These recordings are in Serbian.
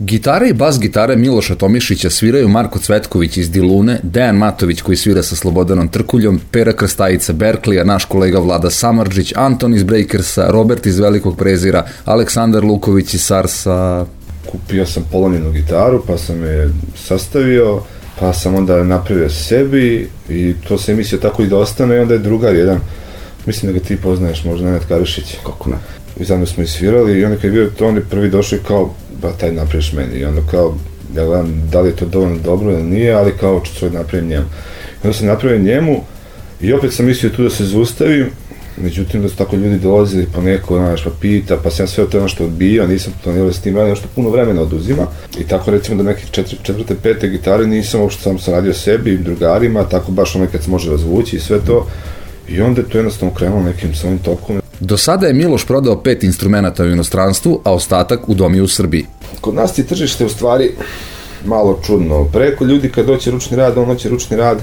Gitare i bas gitare Miloša Tomišića sviraju Marko Cvetković iz Dilune, Dejan Matović koji svira sa Slobodanom Trkuljom, Pera Krstajica Berklija, naš kolega Vlada Samardžić, Anton iz Breakersa, Robert iz Velikog prezira, Aleksandar Luković iz Sarsa. Kupio sam polomljenu gitaru, pa sam je sastavio, pa sam onda napravio sebi i to se mislio tako i da ostane. I onda je drugar jedan, mislim da ga ti poznaješ, možda Nenad Karišić. Kako ne? I zajedno smo isvirali i onda kad je bio to, on je prvi došao i kao, ba taj napraviš meni. I onda kao, ja gledam da li je to dovoljno dobro ili nije, ali kao ću svoj napravim njemu. I onda sam napravio njemu i opet sam mislio tu da se zaustavim, međutim da su tako ljudi dolazili po neko, znaš, pa pita, pa sam sve to ono što odbio, nisam planirao s tim radim, što puno vremena oduzima. I tako recimo da nekih četvrte, pete gitare nisam, uopšte sam radio sebi i drugarima, tako baš ono kad se može razvući i sve to. I onda je to jednostavno krenulo nekim svojim tokom. Do sada je Miloš prodao 5 instrumenta u inostranstvu, a ostatak u domi u Srbiji. Kod nas je tržište u stvari malo čudno. Preko ljudi kad doće ručni rad, on hoće ručni rad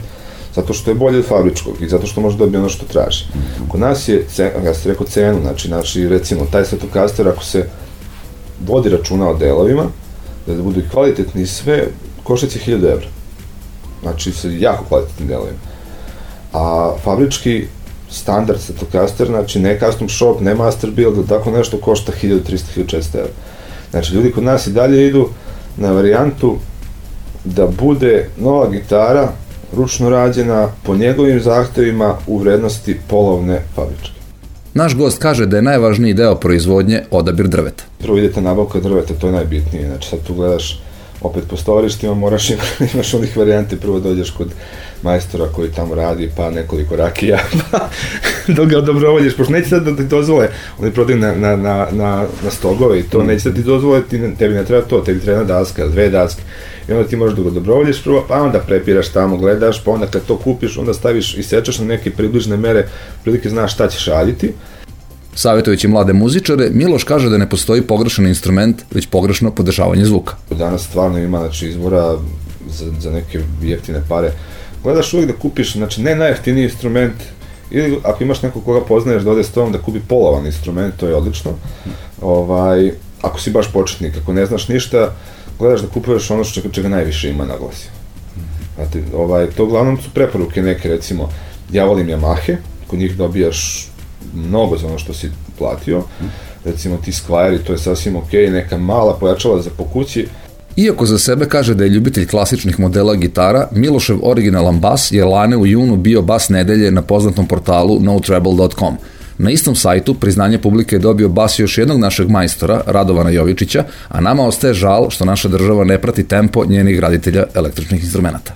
zato što je bolje od fabričkog i zato što može dobiti ono što traži. Kod nas je, ja sam rekao cenu, znači recimo taj Stratocaster ako se vodi računa o delovima, da budu i kvalitetni i sve, košta će 1000 evra. Znači sa jako kvalitetnim delovima. A fabrički standard Stratocaster, znači ne custom shop, ne master build, tako nešto košta 1300-1400 evra. Znači ljudi kod nas i dalje idu na varijantu da bude nova gitara ručno rađena po njegovim zahtevima u vrednosti polovne fabričke. Naš gost kaže da je najvažniji deo proizvodnje odabir drveta. Prvo idete nabavka drveta, to je najbitnije. Znači sad tu gledaš opet po stovarištima, moraš imaš onih varijante, prvo dođeš kod majstora koji tamo radi, pa nekoliko rakija, pa dok ga dobrovoljiš, pošto neće sad da ti dozvole, oni prodaju na stogove i to, neće da ti dozvole, tebi ne treba to, tebi treba 1 daska, 2 daske, i onda ti možeš da ga dobrovoljiš prvo, pa onda prepiraš tamo, gledaš, pa onda kad to kupiš, onda staviš i sečaš na neke približne mere, prilike znaš šta ćeš raditi. Savjetujući mlade muzičare, Miloš kaže da ne postoji pogrešan instrument, već pogrešno podešavanje zvuka. Danas stvarno ima izbora za neke jeftine pare. Gledaš uvijek da kupiš, znači ne najjeftiniji instrument, ili ako imaš nekog koga poznaješ da ode s tobom da kupi polovan instrument, to je odlično. Ako si baš početnik, ako ne znaš ništa, gledaš da kupuješ ono čega najviše ima naglasio. Znate, to uglavnom su preporuke neke, recimo, ja volim Yamahe, kod njih dobijaš mnogo za ono što si platio, recimo ti Squire, to je sasvim ok, neka mala pojačala za po kući. Iako za sebe kaže da je ljubitelj klasičnih modela gitara, Milošev originalan bas je lane u junu bio bas nedelje na poznatom portalu notreble.com. Na istom sajtu priznanje publike je dobio bas još jednog našeg majstora, Radovana Jovičića, a nama ostaje žal što naša država ne prati tempo njenih graditelja električnih instrumenta.